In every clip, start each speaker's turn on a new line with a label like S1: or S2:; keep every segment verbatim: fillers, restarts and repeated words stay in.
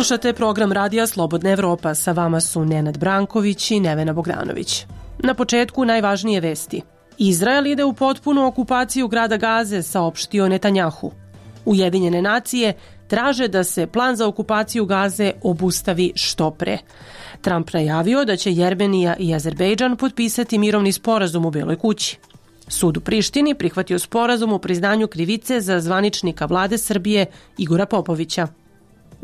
S1: Slušate program Radija Slobodna Evropa. Sa vama su Nenad Branković i Nevena Bogdanović. Na početku najvažnije vesti. Izrael ide u potpunu okupaciju grada Gaze, saopštio Netanjahu. Ujedinjene nacije traže da se plan za okupaciju Gaze obustavi što pre. Trump najavio da će Jermenija i Azerbejdžan potpisati mirovni sporazum u Beloj kući. Sud u Prištini prihvatio sporazum o priznanju krivice za zvaničnika vlade Srbije Igora Popovića.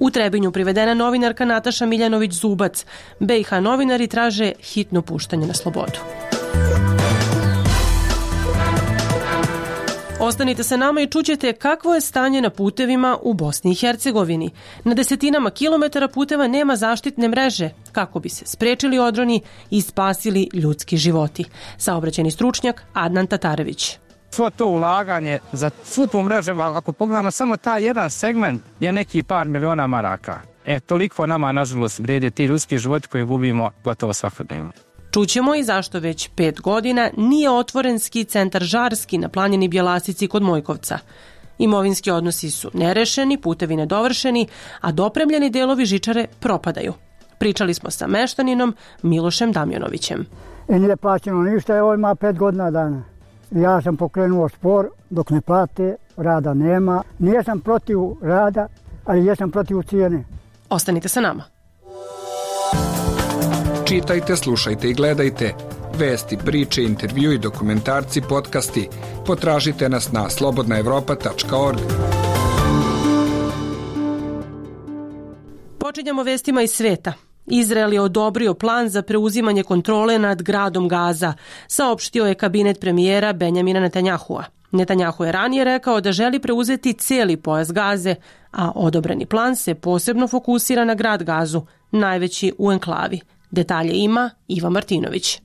S1: U Trebinju privedena novinarka Nataša Miljanović-Zubac. B i H novinari traže hitno puštanje na slobodu. Ostanite sa nama i čućete kakvo je stanje na putevima u Bosni i Hercegovini. Na desetinama kilometara puteva nema zaštitne mreže kako bi se sprečili odroni i spasili ljudski životi. Saobraćajni stručnjak Adnan Tatarević.
S2: Svo to ulaganje za svu tu mrežu, ako pogledamo samo taj jedan segment, je neki par miliona maraka. E, toliko nama, nažalost, vrede ti ljudski životi koji gubimo gotovo svakodnevno.
S1: Čućemo i zašto već pet godina nije otvoren ski centar Žarski na planini Bjelasici kod Mojkovca. Imovinski odnosi su nerešeni, putevi nedovršeni, a dopremljeni delovi žičare propadaju. Pričali smo sa meštaninom Milošem Damjanovićem.
S3: I nije plaćeno ništa, evo ima pet godina dana. Ja sam pokrenuo spor dok ne plate, rada nema. Nijesam protiv rada, ali jesam protiv cijene.
S1: Ostanite sa nama.
S4: Čitajte, slušajte i gledajte. Vesti, priče, intervju i dokumentarci, podcasti. Potražite nas na slobodna evropa tačka org.
S1: Počinjamo vestima iz sveta. Izrael je odobrio plan za preuzimanje kontrole nad gradom Gaza, saopštio je kabinet premijera Benjamina Netanjahua. Netanjahu je ranije rekao da želi preuzeti cijeli pojas Gaze, a odobreni plan se posebno fokusira na grad Gazu, najveći u enklavi. Detalje ima Iva Martinović.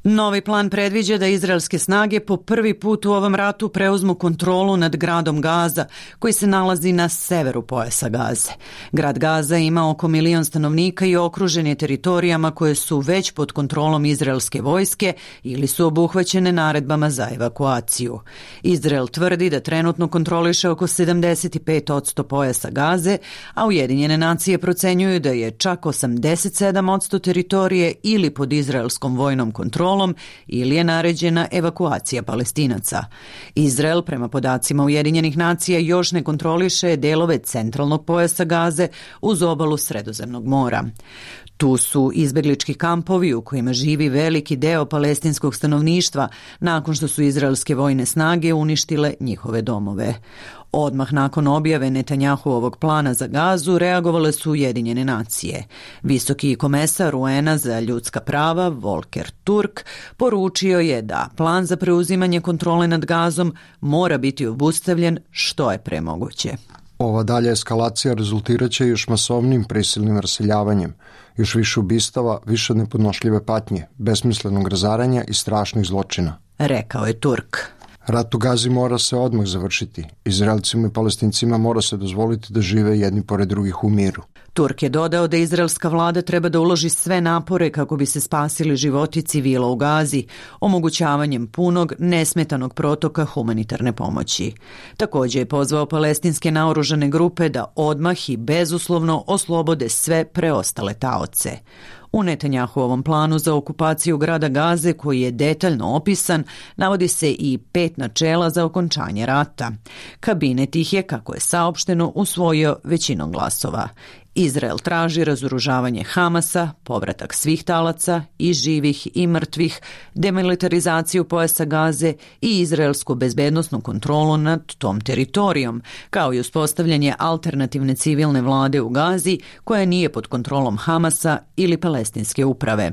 S5: Novi plan predviđa da izraelske snage po prvi put u ovom ratu preuzmu kontrolu nad gradom Gaza, koji se nalazi na severu pojasa Gaze. Grad Gaza ima oko milion stanovnika i okružen je teritorijama koje su već pod kontrolom izraelske vojske ili su obuhvaćene naredbama za evakuaciju. Izrael tvrdi da trenutno kontroliše oko sedamdeset pet posto pojasa Gaze, a Ujedinjene nacije procenjuju da je čak osamdeset sedam posto teritorije ili pod izraelskom vojnom kontrolom ili je naređena evakuacija Palestinaca. Izrael, prema podacima Ujedinjenih nacija, još ne kontroliše delove centralnog pojasa Gaze uz obalu Sredozemnog mora. Tu su izbeglički kampovi u kojima živi veliki deo palestinskog stanovništva nakon što su izraelske vojne snage uništile njihove domove. Odmah nakon objave Netanjahuovog plana za Gazu reagovale su Ujedinjene nacije. Visoki komesar U N-a za ljudska prava Volker Turk poručio je da plan za preuzimanje kontrole nad Gazom mora biti obustavljen što je pre moguće.
S6: Ova dalja eskalacija rezultiraće još masovnim prisilnim raseljavanjem, još više ubistava, više nepodnošljive patnje, besmislenog razaranja i strašnih zločina,
S5: rekao je Turk.
S6: Rat u Gazi mora se odmah završiti. Izraelcima i Palestincima mora se dozvoliti da žive jedni pored drugih u miru.
S5: Turk je dodao da izraelska vlada treba da uloži sve napore kako bi se spasili životi civila u Gazi, omogućavanjem punog, nesmetanog protoka humanitarne pomoći. Također je pozvao palestinske naoružane grupe da odmah i bezuslovno oslobode sve preostale taoce. U Netanjahuovom planu za okupaciju grada Gaze, koji je detaljno opisan, navodi se i pet načela za okončanje rata. Kabinet ih je, kako je saopšteno, usvojio većinom glasova. Izrael traži razoružavanje Hamasa, povratak svih talaca, i živih i mrtvih, demilitarizaciju pojasa Gaze i izraelsku bezbednosnu kontrolu nad tom teritorijom, kao i uspostavljanje alternativne civilne vlade u Gazi koja nije pod kontrolom Hamasa ili palestinske uprave.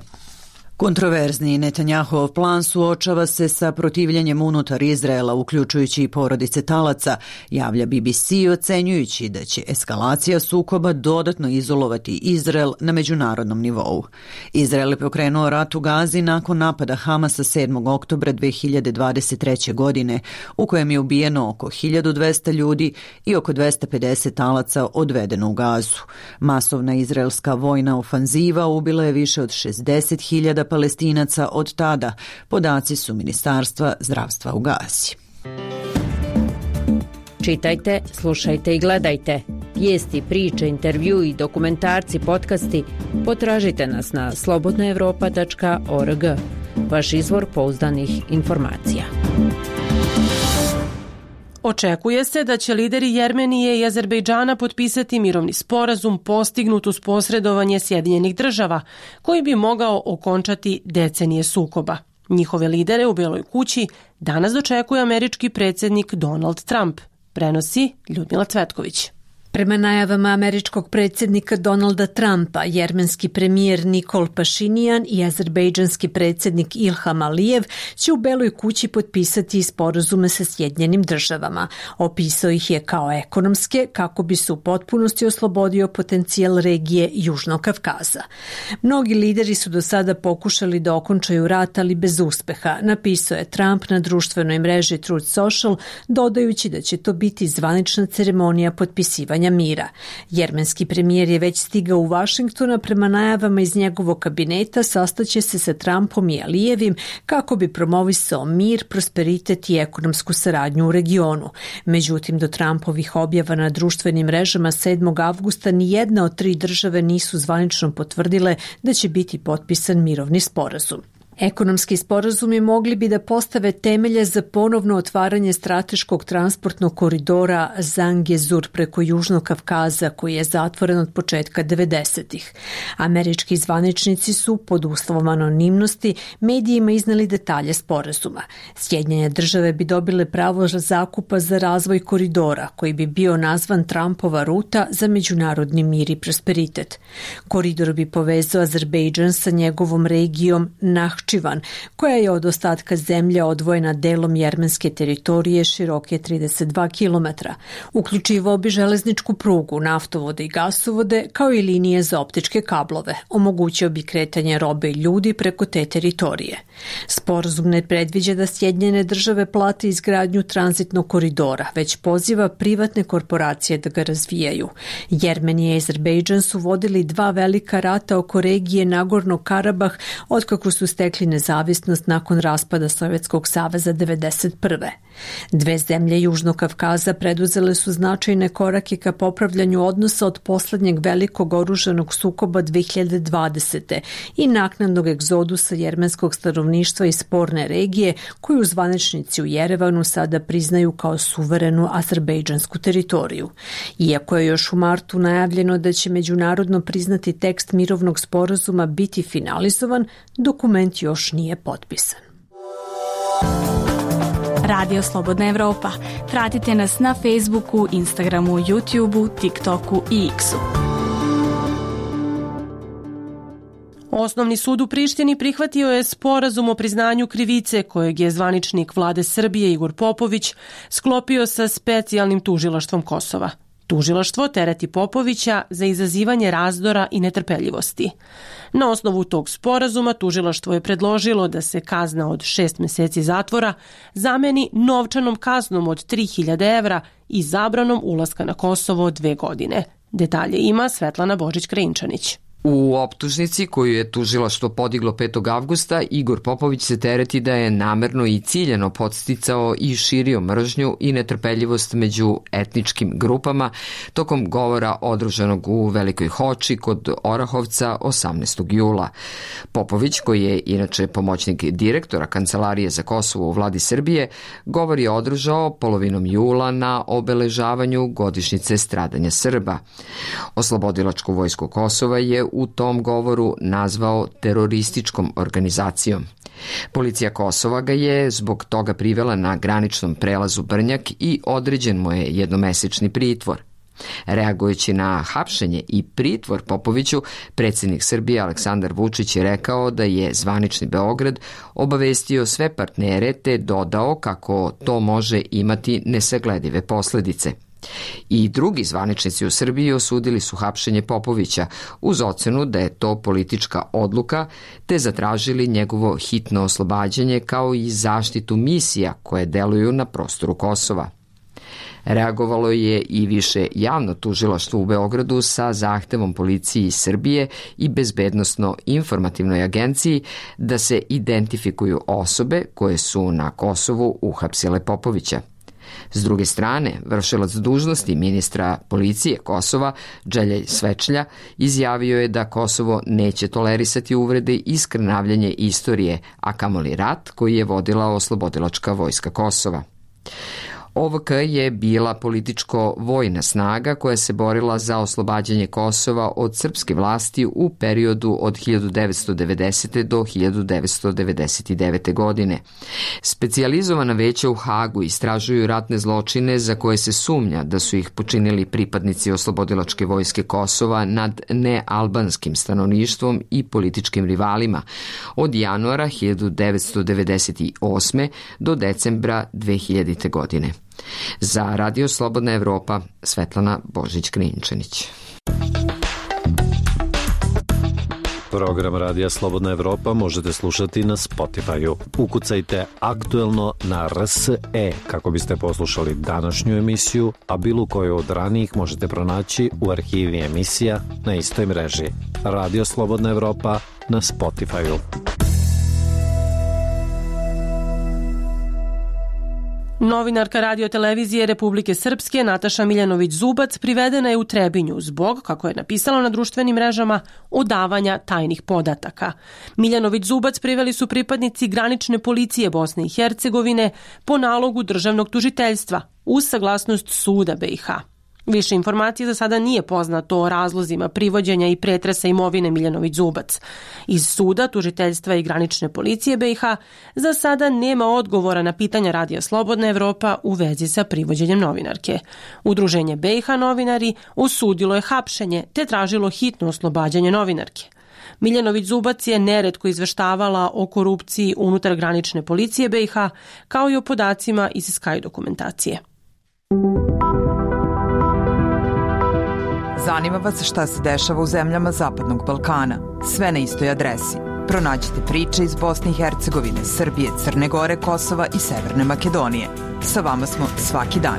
S5: Kontroverzni Netanjahuov plan suočava se sa protivljenjem unutar Izraela, uključujući i porodice talaca, javlja B B C ocenjujući da će eskalacija sukoba dodatno izolovati Izrael na međunarodnom nivou. Izrael je pokrenuo rat u Gazi nakon napada Hamasa sedmog oktobra dve hiljade dvadeset treće. godine, u kojem je ubijeno oko hiljadu dvesta ljudi i oko dvesta pedeset talaca odvedeno u Gazu. Masovna izraelska vojna ofanziva ubila je više od šezdeset hiljada Palestinaca od tada, podaci su Ministarstva zdravstva u Gazi.
S7: Čitajte, slušajte i gledajte. Vijesti, priče, intervju i dokumentarci, podcasti potražite nas na slobodna evropa tačka org. Vaš izvor pouzdanih informacija.
S1: Očekuje se da će lideri Jermenije i Azerbejdžana potpisati mirovni sporazum postignut uz posredovanje Sjedinjenih država, koji bi mogao okončati decenije sukoba. Njihove lidere u Beloj kući danas dočekuje američki predsjednik Donald Trump, prenosi Ljudmila Cvetković.
S8: Prema najavama američkog predsjednika Donalda Trumpa, jermenski premijer Nikol Pašinijan i azerbejdžanski predsjednik Ilham Alijev će u Beloj kući potpisati sporazume sa Sjedinjenim državama. Opisao ih je kao ekonomske, kako bi se u potpunosti oslobodio potencijal regije Južnog Kavkaza. Mnogi lideri su do sada pokušali da okončaju rat, ali bez uspeha, napisao je Trump na društvenoj mreži Truth Social, dodajući da će to biti zvanična ceremonija potpisivanja mira. Jermenski premijer je već stigao u Vašingtona, prema najavama iz njegovog kabineta sastaće se sa Trumpom i Alijevim kako bi promovisao mir, prosperitet i ekonomsku saradnju u regionu. Međutim, do Trumpovih objava na društvenim mrežama sedmog avgusta ni jedna od tri države nisu zvanično potvrdile da će biti potpisan mirovni sporazum. Ekonomski sporazumi mogli bi da postave temelje za ponovno otvaranje strateškog transportnog koridora Zangezur preko Južnog Kavkaza, koji je zatvoren od početka devedesetih. Američki zvaničnici su, pod uslovom anonimnosti, medijima iznali detalje sporazuma. Sjedinjene države bi dobile pravo zakupa za razvoj koridora, koji bi bio nazvan Trumpova ruta za međunarodni mir i prosperitet. Koridor bi povezao Azerbejdžan sa njegovom regijom Nahčivan, koja je od ostatka zemlje odvojena delom jermenske teritorije široke trideset dva kilometra. Uključivao bi železničku prugu, naftovode i gasovode, kao i linije za optičke kablove. Omogućio bi kretanje robe i ljudi preko te teritorije. Sporazum ne predviđa da Sjedinjene države plate izgradnju tranzitnog koridora, već poziva privatne korporacije da ga razvijaju. Jermenija i Azerbejdžan su vodili dva velika rata oko regije Nagorno Karabah otkako su stekli nezavisnost nakon raspada Sovjetskog saveza devedeset prve. Dve zemlje Južnog Kavkaza preduzele su značajne korake ka popravljanju odnosa od poslednjeg velikog oružanog sukoba dve hiljade dvadesete. i naknadnog egzodusa jermenskog stanovništva iz sporne regije, koju zvaničnici u Jerevanu sada priznaju kao suverenu azerbejdžansku teritoriju. Iako je još u martu najavljeno da će međunarodno priznati tekst mirovnog sporazuma biti finalizovan, dokument još nije potpisan.
S9: Radio Slobodna Evropa. Pratite nas na Facebooku, Instagramu, YouTubeu, TikToku i X-u.
S1: Osnovni sud u Prištini prihvatio je sporazum o priznanju krivice kojeg je zvaničnik vlade Srbije Igor Popović sklopio sa specijalnim tužilaštvom Kosova. Tužilaštvo tereti Popovića za izazivanje razdora i netrpeljivosti. Na osnovu tog sporazuma tužilaštvo je predložilo da se kazna od šest meseci zatvora zameni novčanom kaznom od tri hiljade evra i zabranom ulaska na Kosovo od dve godine. Detalje ima Svetlana Božić-Krajinčanić.
S10: U optužnici koju je tužilaštvo podiglo petog avgusta, Igor Popović se tereti da je namerno i ciljano podsticao i širio mržnju i netrpeljivost među etničkim grupama tokom govora održanog u Velikoj Hoči kod Orahovca osamnaestog jula. Popović, koji je inače pomoćnik direktora Kancelarije za Kosovo u vladi Srbije, govor je održao polovinom jula na obeležavanju godišnjice stradanja Srba. Oslobodilačku vojsku Kosova je u tom govoru nazvao terorističkom organizacijom. Policija Kosova ga je zbog toga privela na graničnom prelazu Brnjak i određen mu je jednomesečni pritvor. Reagujući na hapšenje i pritvor Popoviću, predsjednik Srbije Aleksandar Vučić je rekao da je zvanični Beograd obavestio sve partnere te dodao kako to može imati nesagledive posledice. I drugi zvaničnici u Srbiji osudili su hapšenje Popovića uz ocenu da je to politička odluka, te zatražili njegovo hitno oslobađanje kao i zaštitu misija koje deluju na prostoru Kosova. Reagovalo je i više javno tužilaštvo u Beogradu sa zahtevom policiji Srbije i Bezbednosno-informativnoj agenciji da se identifikuju osobe koje su na Kosovu uhapsile Popovića. S druge strane, vršilac dužnosti ministra policije Kosova, Dželjej Svečlja, izjavio je da Kosovo neće tolerisati uvrede i skrnavljanje istorije, a kamoli rat koji je vodila oslobodilačka vojska Kosova. O V K je bila političko-vojna snaga koja se borila za oslobađanje Kosova od srpske vlasti u periodu od hiljadu devetsto devedesete. do hiljadu devetsto devedeset devete. godine. Specijalizovana veća u Hagu istražuju ratne zločine za koje se sumnja da su ih počinili pripadnici oslobodilačke vojske Kosova nad nealbanskim stanovništvom i političkim rivalima od januara hiljadu devetsto devedeset osme. do decembra dve hiljadite. godine. Za Radio Slobodna Evropa, Svetlana Božić-Krinčanić.
S11: Program Radija Slobodna Evropa možete slušati na Spotify-u. Ukucajte aktuelno na R S E kako biste poslušali današnju emisiju, a bilo koju od ranijih možete pronaći u arhivi emisija na istoj mreži. Radio Slobodna Evropa na Spotify-u.
S1: Novinarka radiotelevizije Republike Srpske Nataša Miljanović-Zubac privedena je u Trebinju zbog, kako je napisala na društvenim mrežama, odavanja tajnih podataka. Miljanović-Zubac priveli su pripadnici granične policije Bosne i Hercegovine po nalogu državnog tužiteljstva uz saglasnost suda B i H. Više informacije za sada nije poznato o razlozima privođenja i pretresa imovine Miljanović-Zubac. Iz suda, tužiteljstva i granične policije B i H za sada nema odgovora na pitanja Radija Slobodna Evropa u vezi sa privođenjem novinarke. Udruženje B i H novinari osudilo je hapšenje te tražilo hitno oslobađanje novinarke. Miljanović-Zubac je neretko izveštavala o korupciji unutar granične policije B i H kao i o podacima iz Sky dokumentacije.
S12: Zanima vas šta se dešava u zemljama Zapadnog Balkana. Sve na istoj adresi. Pronađite priče iz Bosne i Hercegovine, Srbije, Crne Gore, Kosova i Severne Makedonije. Sa vama smo svaki dan.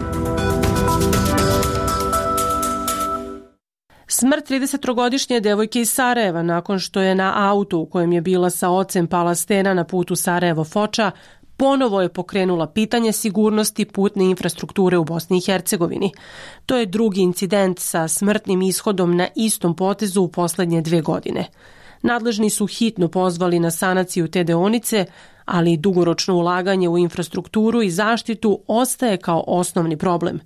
S1: Smrt tridesettrogodišnje devojke iz Sarajeva nakon što je na autu u kojem je bila sa ocem pala stena na putu Sarajevo-Foča ponovo je pokrenula pitanje sigurnosti putne infrastrukture u Bosni i Hercegovini. To je drugi incident sa smrtnim ishodom na istom potezu u poslednje dve godine. Nadležni su hitno pozvali na sanaciju te deonice, ali dugoročno ulaganje u infrastrukturu i zaštitu ostaje kao osnovni problem.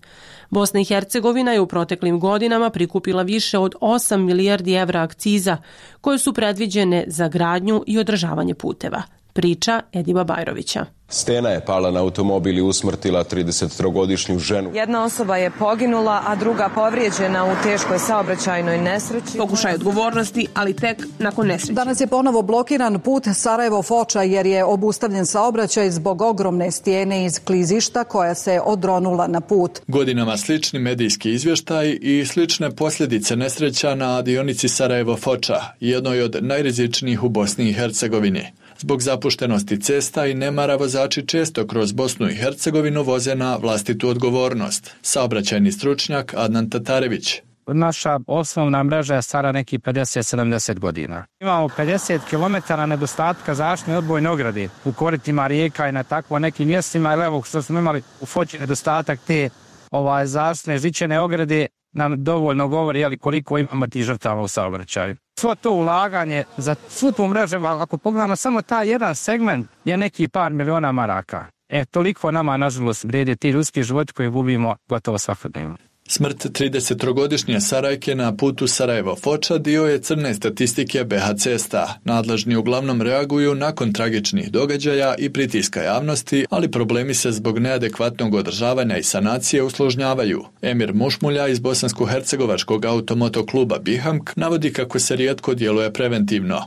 S1: Bosna i Hercegovina je u proteklim godinama prikupila više od osam milijardi evra akciza koje su predviđene za gradnju i održavanje puteva. Priča Ediba Bajrovića.
S13: Stena je pala na automobil i usmrtila tridesettrogodišnju ženu.
S14: Jedna osoba je poginula, a druga povrijeđena u teškoj saobraćajnoj nesreći.
S15: Pokušaj odgovornosti, ali tek nakon nesreće.
S16: Danas je ponovo blokiran put Sarajevo-Foča jer je obustavljen saobraćaj zbog ogromne stijene iz klizišta koja se odronula na put.
S17: Godinama slični medijski izvještaj i slične posljedice nesreća na dionici Sarajevo-Foča, jednoj od najrizičnijih u Bosni i Hercegovini. Zbog zapuštenosti cesta i nemara vozači često kroz Bosnu i Hercegovinu voze na vlastitu odgovornost. Saobraćajni stručnjak Adnan Tatarević.
S2: Naša osnovna mreža je stara neki pedeset do sedamdeset godina. Imamo pedeset kilometara nedostatka zaštitne odbojne ograde u koritima rijeka i na takvo nekim mjestima. Evo što smo imali u Foči nedostatak te ovaj, zaštitne žičane ograde nam dovoljno govori jeli, koliko imamo tih žrtava u saobraćaju. Svo to ulaganje za svu tu mrežu, ako pogledamo samo taj jedan segment, je neki par miliona maraka. E, toliko nama, nažalost, vrijede ti ljudski životi koji gubimo gotovo svakodnevno.
S17: Smrt tridesettrogodišnje Sarajke na putu Sarajevo-Foča dio je crne statistike B H cesta. Nadležni uglavnom reaguju nakon tragičnih događaja i pritiska javnosti, ali problemi se zbog neadekvatnog održavanja i sanacije usložnjavaju. Emir Mušmulja iz bosansko-hercegovačkog automoto kluba Bihamk navodi kako se rijetko djeluje preventivno.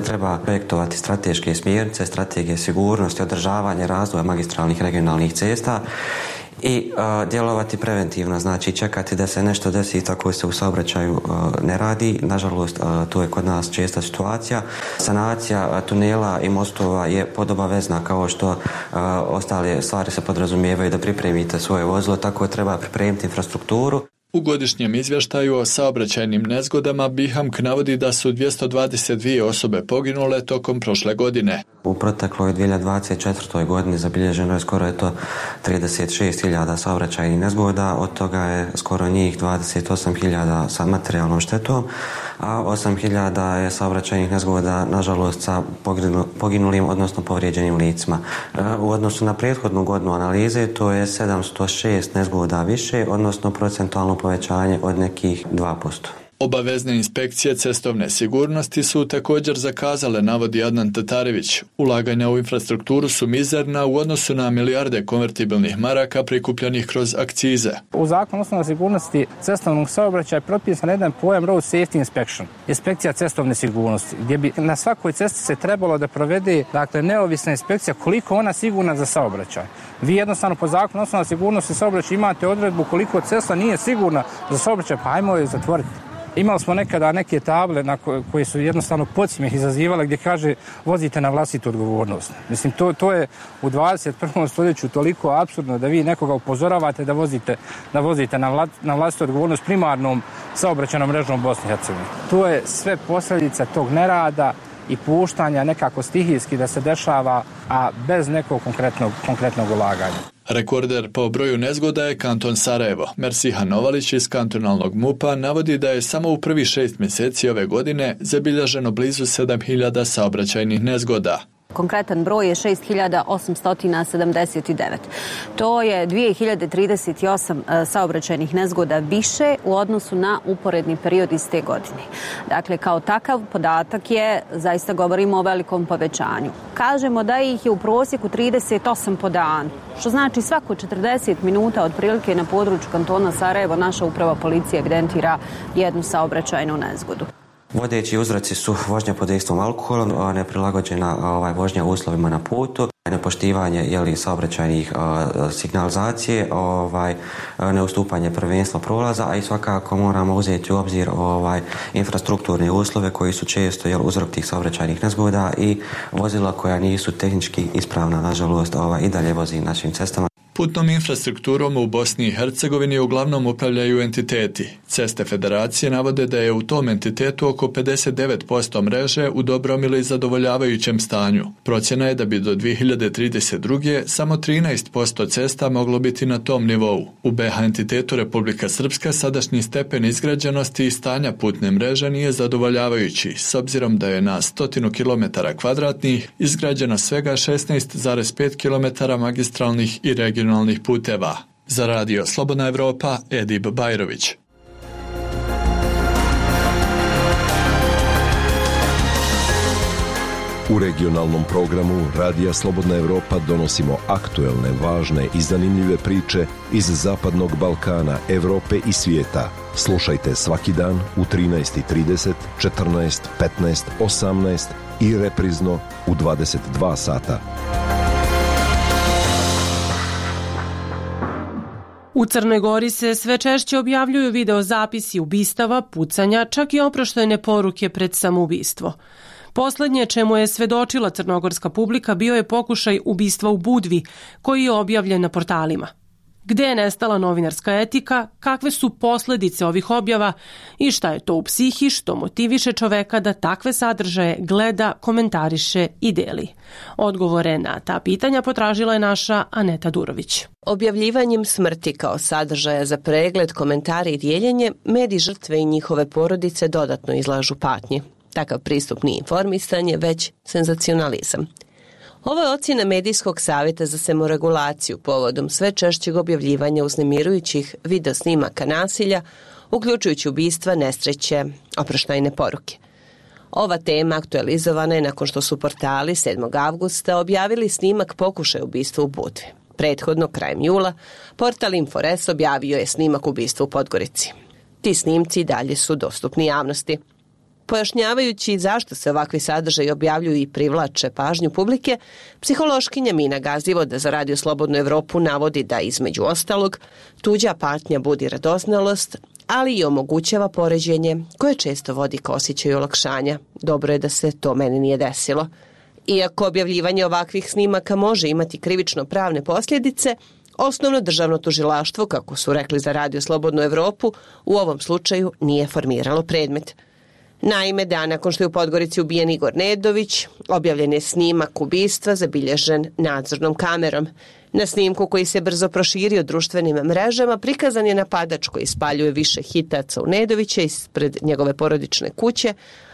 S18: Treba projektovati strateške smjernice, strategije sigurnosti, održavanje razvoja magistralnih regionalnih cesta i uh, djelovati preventivno, znači čekati da se nešto desi, tako se u saobraćaju uh, ne radi. Nažalost, uh, to je kod nas česta situacija. Sanacija uh, tunela i mostova je podobavezna, kao što uh, ostale stvari se podrazumijevaju da pripremite svoje vozilo, tako treba pripremiti infrastrukturu.
S17: U godišnjem izvještaju o saobraćajnim nezgodama B I H A M K navodi da su dvjesto dvadeset dvije osobe poginule tokom prošle godine.
S18: U protekloj dvije hiljade dvadeset četvrtoj godini zabilježeno je skoro je to trideset šest hiljada saobraćajnih nezgoda, od toga je skoro njih dvadeset osam hiljada sa materijalnom štetom, a osam hiljada je saobraćajnih nezgoda nažalost sa poginulim, odnosno povrijeđenim licima. U odnosu na prethodnu godinu analize to je sedamsto šest nezgoda više, odnosno procentualno povećanje od nekih dva posto.
S17: Obavezne inspekcije cestovne sigurnosti su također zakazale, navodi Adnan Tatarević. Ulaganja u infrastrukturu su mizerna u odnosu na milijarde konvertibilnih maraka prikupljenih kroz akcize.
S2: U zakonu osnovne sigurnosti cestovnog saobraćaja je propisan jedan pojam road safety inspection, inspekcija cestovne sigurnosti, gdje bi na svakoj cesti se trebalo da provede, dakle, neovisna inspekcija koliko ona sigurna za saobraćaj. Vi jednostavno po zakonu osnovne sigurnosti saobraćaja imate odredbu koliko cesta nije sigurna za saobraćaj, pa ajmo je zatvoriti. Imali smo nekada neke table na koje, koje su jednostavno podsmijeh izazivale gdje kaže vozite na vlastitu odgovornost. Mislim, to, to je u dvadeset prvom stoljeću toliko apsurdno da vi nekoga upozoravate da vozite, da vozite na, vla, na vlastitu odgovornost primarnom saobraćajnom mrežom Bosne i Hercegovine. To je sve posljedica tog nerada i puštanja nekako stihijski da se dešava, a bez nekog konkretnog, konkretnog ulaganja.
S17: Rekorder po broju nezgoda je kanton Sarajevo. Mersiha Novalić iz kantonalnog MUP-a navodi da je samo u prvi šest mjeseci ove godine zabilježeno blizu sedam hiljada saobraćajnih nezgoda.
S19: Konkretan broj je šest hiljada osamsto sedamdeset devet. To je dvije hiljade trideset osam saobraćajnih nezgoda više u odnosu na uporedni period iz te godine. Dakle, kao takav podatak je, zaista govorimo o velikom povećanju. Kažemo da ih je u prosjeku trideset osam po danu, što znači svako četrdeset minuta otprilike na području kantona Sarajevo naša uprava policije evidentira jednu saobraćajnu nezgodu.
S18: Vodeći uzroci su vožnja pod dejstvom alkohola, neprilagođena ovaj, vožnja uslovima na putu, nepoštivanje jeli, saobraćajnih uh, signalizacije, ovaj, neustupanje prvenstva prolaza, a i svakako moramo uzeti u obzir ovaj, infrastrukturne uslove koji su često jel, uzrok tih saobraćajnih nezgoda i vozila koja nisu tehnički ispravna, nažalost, ovaj, i dalje vozi našim cestama.
S17: Putnom infrastrukturom u Bosni i Hercegovini uglavnom upravljaju entiteti. Ceste federacije navode da je u tom entitetu oko pedeset devet posto mreže u dobrom ili zadovoljavajućem stanju. Procjena je da bi do dvije hiljade trideset druge samo trinaest posto cesta moglo biti na tom nivou. U B H entitetu Republika Srpska sadašnji stepen izgrađenosti i stanja putne mreže nije zadovoljavajući, s obzirom da je na stotinu kilometara kvadratnih izgrađeno svega šesnaest zarez pet kilometara magistralnih i regionalnih puteva. Za radio Slobodna Evropa, Edib Bajrović.
S20: U regionalnom programu Radija Slobodna Evropa donosimo aktuelne, važne i zanimljive priče iz Zapadnog Balkana, Evrope i svijeta. Slušajte svaki dan u trinaest i trideset, četrnaest, petnaest, osamnaest i reprizno u dvadeset dva sata.
S1: U Crnoj Gori se sve češće objavljuju videozapisi ubistava, pucanja, čak i oproštajne poruke pred samoubistvo. Poslednje čemu je svedočila crnogorska publika bio je pokušaj ubistva u Budvi, koji je objavljen na portalima. Gde je nestala novinarska etika, kakve su posledice ovih objava i šta je to u psihi što motiviše čoveka da takve sadržaje gleda, komentariše i deli? Odgovore na ta pitanja potražila je naša Aneta Durović.
S21: Objavljivanjem smrti kao sadržaja za pregled, komentare i dijeljenje, mediji žrtve i njihove porodice dodatno izlažu patnji. Takav pristup nije informisanje, već senzacionalizam. Ovo je ocjena Medijskog savjeta za samoregulaciju povodom sve češćeg objavljivanja uznemirujućih videosnimaka nasilja, uključujući ubistva, nesreće, oproštajne poruke. Ova tema aktualizovana je nakon što su portali sedmog avgusta objavili snimak pokušaja ubistva u Budvi. Prethodno, krajem jula, portal Infores objavio je snimak ubistva u Podgorici. Ti snimci dalje su dostupni javnosti. Pojašnjavajući zašto se ovakvi sadržaji objavljuju i privlače pažnju publike, psihološkinja Mina Gazivoda za Radio Slobodnu Evropu navodi da između ostalog tuđa patnja budi radoznalost, ali i omogućava poređenje koje često vodi ka osjećaju olakšanja. Dobro je da se to meni nije desilo. Iako objavljivanje ovakvih snimaka može imati krivično pravne posljedice, Osnovno državno tužilaštvo, kako su rekli za Radio Slobodnu Evropu, u ovom slučaju nije formiralo predmet. Naime, dan nakon što je u Podgorici ubijen Igor Nedović, objavljen je snimak ubistva zabilježen nadzornom kamerom. Na snimku koji se brzo proširio društvenim mrežama prikazan je napadač koji spaljuje više hitaca u Nedovića ispred njegove porodične kuće,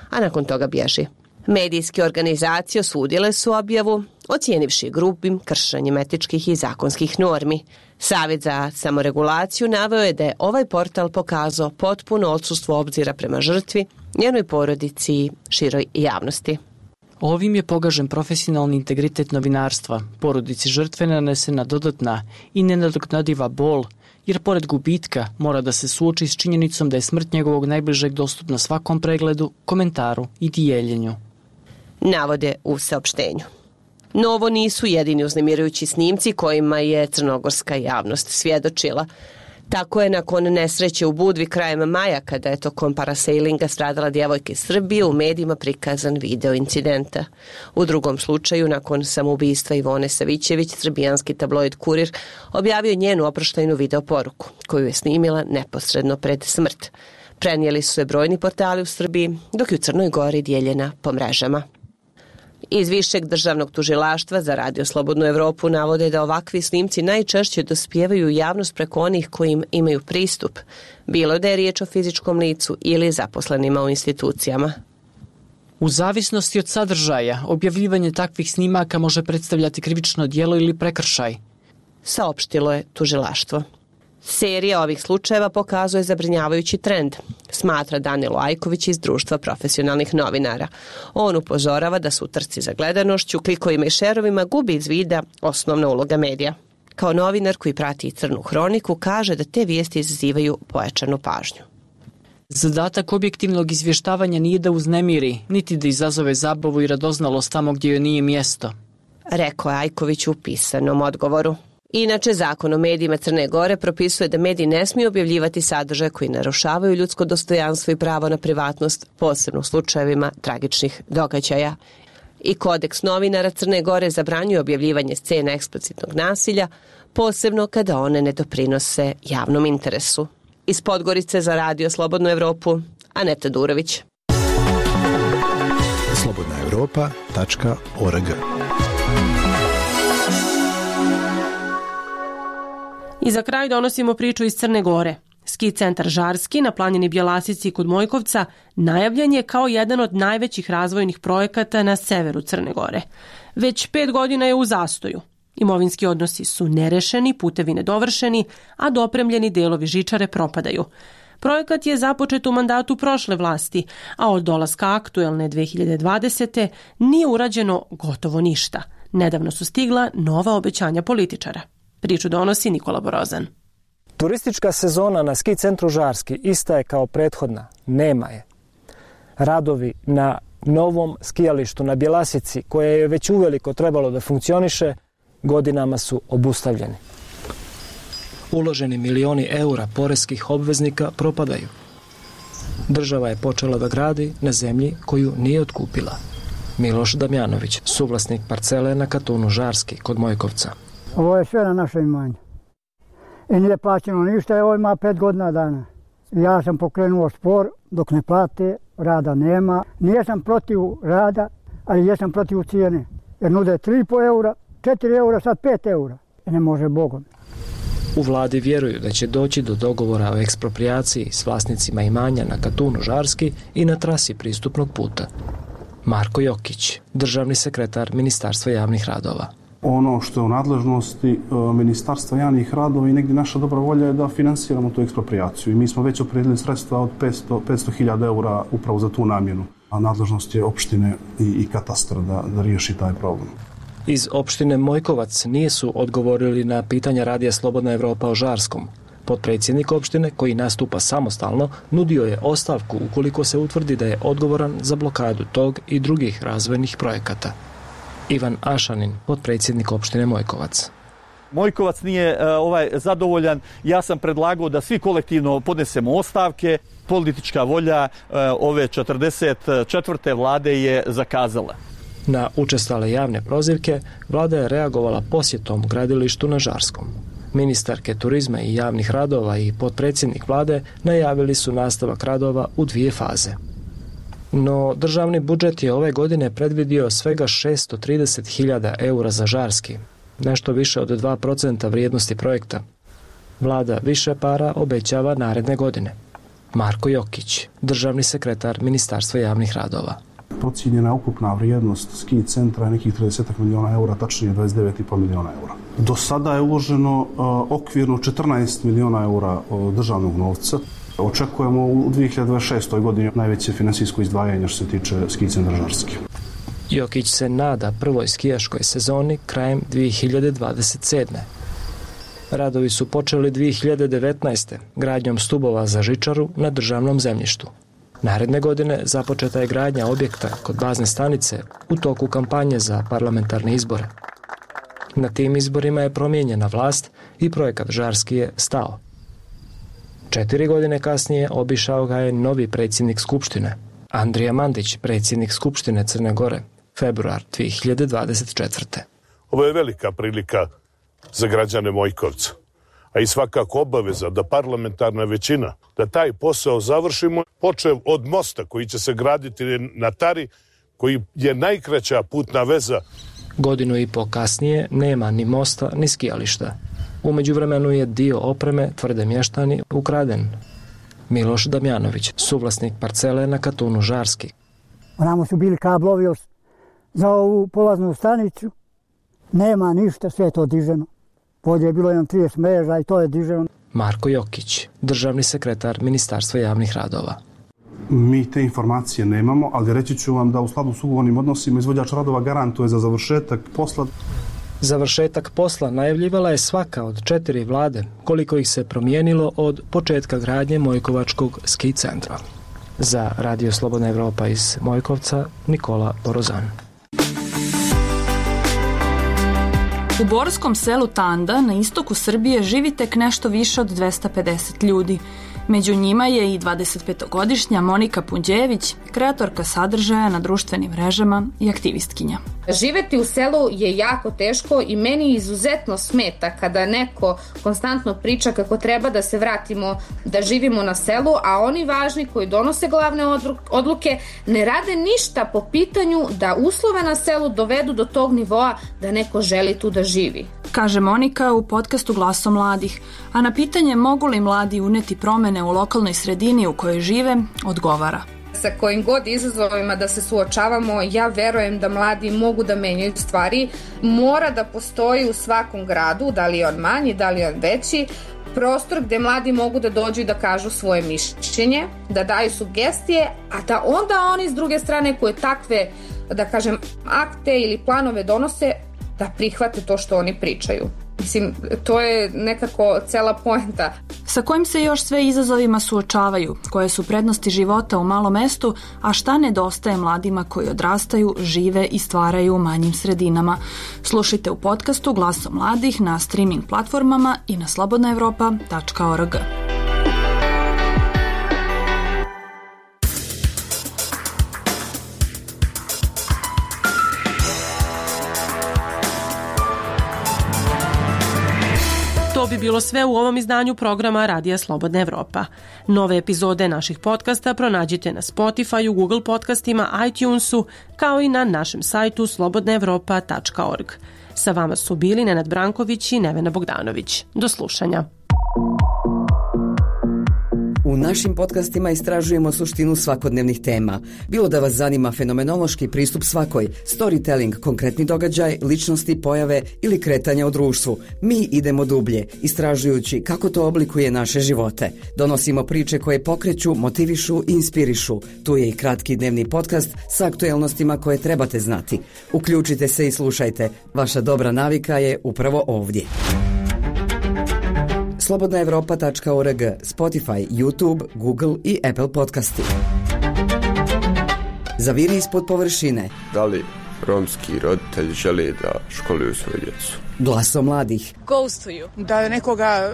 S21: a nakon toga bježi. Medijske organizacije osudile su objavu, ocijenivši grubim kršenjem etičkih i zakonskih normi. Savjet za samoregulaciju naveo je da je ovaj portal pokazao potpuno odsustvo obzira prema žrtvi, njenoj porodici i široj javnosti.
S3: Ovim je pogažen profesionalni integritet novinarstva, porodici žrtve nanesena dodatna i nenadoknadiva bol, jer pored gubitka mora da se suoči s činjenicom da je smrt njegovog najbližeg dostupna svakom pregledu, komentaru i dijeljenju.
S21: Navode u saopštenju. No ovo nisu jedini uznemirujući snimci kojima je crnogorska javnost svjedočila. Tako je nakon nesreće u Budvi krajem maja, kada je tokom parasailinga stradala djevojka iz Srbije, u medijima prikazan video incidenta. U drugom slučaju, nakon samoubistva Ivone Savićević, srbijanski tabloid Kurir objavio njenu oproštajnu video poruku, koju je snimila neposredno pred smrt. Prenijeli su je brojni portali u Srbiji, dok je u Crnoj Gori dijeljena po mrežama. Iz Višeg državnog tužilaštva za Radio Slobodnu Evropu navode da ovakvi snimci najčešće dospijevaju u javnost preko onih kojim imaju pristup, bilo da je riječ o fizičkom licu ili zaposlenima u institucijama.
S3: U zavisnosti od sadržaja, objavljivanje takvih snimaka može predstavljati krivično djelo ili prekršaj,
S21: saopštilo je tužilaštvo. Serija ovih slučajeva pokazuje zabrinjavajući trend, smatra Danilo Ajković iz Društva profesionalnih novinara. On upozorava da su u trci za gledanošću, klikovima i šerovima gubi iz vida osnovna uloga medija. Kao novinar koji prati Crnu hroniku kaže da te vijesti izazivaju pojačanu pažnju.
S3: Zadatak objektivnog izvještavanja nije da uznemiri, niti da izazove zabavu i radoznalost tamo gdje joj nije mjesto,
S21: rekao je Ajković u pisanom odgovoru. Inače, zakon o medijima Crne Gore propisuje da mediji ne smiju objavljivati sadržaje koji narušavaju ljudsko dostojanstvo i pravo na privatnost, posebno u slučajevima tragičnih događaja. I kodeks novinara Crne Gore zabranjuje objavljivanje scena eksplicitnog nasilja, posebno kada one ne doprinose javnom interesu. Iz Podgorice za Radio Slobodnu Evropu, Aneta Durović.
S22: slobodna evropa tačka org.
S1: I za kraj donosimo priču iz Crne Gore. Ski centar Žarski na planini Bjelasici kod Mojkovca najavljen je kao jedan od najvećih razvojnih projekata na severu Crne Gore. Već pet godina je u zastoju. Imovinski odnosi su nerešeni, putevi nedovršeni, a dopremljeni delovi žičare propadaju. Projekat je započet u mandatu prošle vlasti, a od dolaska aktuelne dve hiljade dvadesete nije urađeno gotovo ništa. Nedavno su stigla nova obećanja političara. Priču donosi Nikola Borozan.
S23: Turistička sezona na ski centru Žarski ista je kao prethodna, nema je. Radovi na novom skijalištu na Bjelasici, koje je već uveliko trebalo da funkcioniše, godinama su obustavljeni. Uloženi milioni eura poreskih obveznika propadaju. Država je počela da gradi na zemlji koju nije otkupila. Miloš Damjanović, suvlasnik parcele na Katunu Žarski kod Mojkovca.
S24: Ovo je sve na naše imanje. I nije plaćeno ništa, ovo ima pet godina dana. Ja sam pokrenuo spor dok ne plate, rada nema. Nijesam protiv rada, ali jesam protiv cijene. Jer nude tri i po eura, četiri eura, sad pet eura. I ne može Bogom.
S23: U vladi vjeruju da će doći do dogovora o eksproprijaciji s vlasnicima imanja na Katunu Žarski i na trasi pristupnog puta. Marko Jokić, državni sekretar Ministarstva javnih radova.
S25: Ono što je u nadležnosti Ministarstva javnih radova i negdje naša dobra volja je da finansiramo tu eksproprijaciju. I mi smo već opredelili sredstva od petsto hiljada eura upravo za tu namjenu. A nadležnost je opštine i, i katastra da, da riješi taj problem.
S23: Iz opštine Mojkovac nisu odgovorili na pitanja Radija Slobodna Evropa o Žarskom. Potpredsjednik opštine, koji nastupa samostalno, nudio je ostavku ukoliko se utvrdi da je odgovoran za blokadu tog i drugih razvojnih projekata. Ivan Ašanin, potpredsjednik opštine Mojkovac.
S26: Mojkovac nije uh, ovaj zadovoljan. Ja sam predlagao da svi kolektivno podnesemo ostavke. Politička volja uh, ove četrdeset četvrte vlade je zakazala.
S23: Na učestale javne prozivke vlada je reagovala posjetom gradilištu na Žarskom.
S3: Ministarke turizma i javnih radova i potpredsjednik vlade najavili su nastavak radova u dvije faze. No, državni budžet je ove godine predvidio svega šessto trideset hiljada eura za Žarski, nešto više od dva procenta vrijednosti projekta. Vlada više para obećava naredne godine. Marko Jokić, državni sekretar Ministarstva javnih radova.
S25: Procijenjena ukupna vrijednost ski centra je nekih trideset miliona eura, tačnije dvadeset devet i po miliona eura. Do sada je uloženo uh, okvirno četrnaest miliona eura uh, državnog novca. Očekujemo u dvije hiljade dvadeset šestoj godini najveće finansijsko izdvajanje što se tiče ski centra Žarski.
S3: Jokić se nada prvoj skijaškoj sezoni krajem dvije hiljade dvadeset sedme. Radovi su počeli dvije hiljade devetnaeste. gradnjom stubova za žičaru na državnom zemljištu. Naredne godine započeta je gradnja objekta kod bazne stanice u toku kampanje za parlamentarne izbore. Na tim izborima je promijenjena vlast i projekat Žarski je stao. Četiri godine kasnije obišao ga je novi predsjednik Skupštine, Andrija Mandić, predsjednik Skupštine Crne Gore, februar dvije hiljade dvadeset četvrte.
S4: Ovo je velika prilika za građane Mojkovca, a i svakako obaveza da parlamentarna većina, da taj posao završimo, počev od mosta koji će se graditi na Tari, koji je najkraća putna veza.
S3: Godinu i po kasnije nema ni mosta ni skijališta. U međuvremenu je dio opreme, tvrde mještani, ukraden. Miloš Damjanović, suvlasnik parcele na Katunu Žarski.
S24: Onamo su bili kablovi za ovu polaznu stanicu. Nema ništa, sve je to diženo. Polje je bilo jedan trideset mreža i to je diženo.
S3: Marko Jokić, državni sekretar Ministarstva javnih radova.
S25: Mi te informacije nemamo, ali reći ću vam da u skladu s ugovornim odnosima izvođač radova garantuje za završetak posla.
S3: Završetak posla najavljivala je svaka od četiri vlade, koliko ih se promijenilo od početka gradnje Mojkovačkog ski centra. Za Radio Slobodna Evropa iz Mojkovca, Nikola Borozan.
S5: U borskom selu Tanda na istoku Srbije živi tek nešto više od dvesta pedeset ljudi. Među njima je i dvadesetpetogodišnja Monika Punđević, kreatorka sadržaja na društvenim mrežama i aktivistkinja.
S6: Živeti u selu je jako teško i meni izuzetno smeta kada neko konstantno priča kako treba da se vratimo, da živimo na selu, a oni važni koji donose glavne odluke ne rade ništa po pitanju da uslove na selu dovedu do tog nivoa da neko želi tu da živi.
S5: Kaže Monika u podcastu Glaso mladih, a na pitanje mogu li mladi uneti promene u lokalnoj sredini u kojoj žive, odgovara.
S6: Sa kojim god izazovima da se suočavamo, ja verujem da mladi mogu da menjaju stvari. Mora da postoji u svakom gradu, da li je on manji, da li je on veći, prostor gde mladi mogu da dođu i da kažu svoje mišljenje, da daju sugestije, a da onda oni s druge strane koje takve, da kažem, akte ili planove donose, da prihvate to što oni pričaju. Mislim, to je nekako cela poenta.
S5: Sa kojim se još sve izazovima suočavaju, koje su prednosti života u malom mestu, a šta nedostaje mladima koji odrastaju, žive i stvaraju u manjim sredinama. Slušajte u podcastu Glaso mladih na streaming platformama i na slobodna evropa tačka org.
S1: To bi bilo sve u ovom izdanju programa Radija Slobodna Evropa. Nove epizode naših podcasta pronađite na Spotify, Google podcastima, iTunesu, kao i na našem sajtu slobodna evropa tačka org. Sa vama su bili Nenad Branković i Nevena Bogdanović. Do slušanja.
S7: U našim podcastima istražujemo suštinu svakodnevnih tema. Bilo da vas zanima fenomenološki pristup svakoj, storytelling, konkretni događaj, ličnosti, pojave ili kretanja u društvu. Mi idemo dublje, istražujući kako to oblikuje naše živote. Donosimo priče koje pokreću, motivišu i inspirišu. Tu je i kratki dnevni podcast sa aktuelnostima koje trebate znati. Uključite se i slušajte. Vaša dobra navika je upravo ovdje. slobodna evropa tačka org, Spotify, YouTube, Google i Apple podcasti. Zaviri ispod površine.
S8: Da li romski roditelji žele da školuju svoju djecu?
S7: Glaso mladih.
S9: Ghostuju. Da nekoga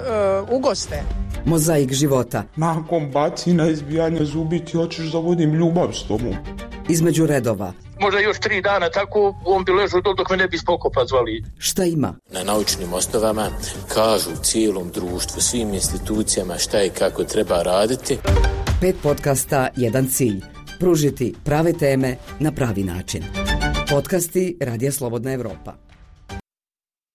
S9: uh, ugoste.
S7: Mozaik života.
S27: Nakon bacina, izbijanja zubi ti hoćeš da vodim ljubav s tobom.
S7: Između redova.
S10: možda još tri dana tako, on bi ležao dol dok me ne bi spokopa zvali.
S7: Šta ima?
S11: Na naučnim osnovama kažu cijelom društvu, svim institucijama šta i kako treba raditi.
S7: Pet podcasta, jedan cilj. Pružiti prave teme na pravi način. Podcasti Radija Slobodna Evropa.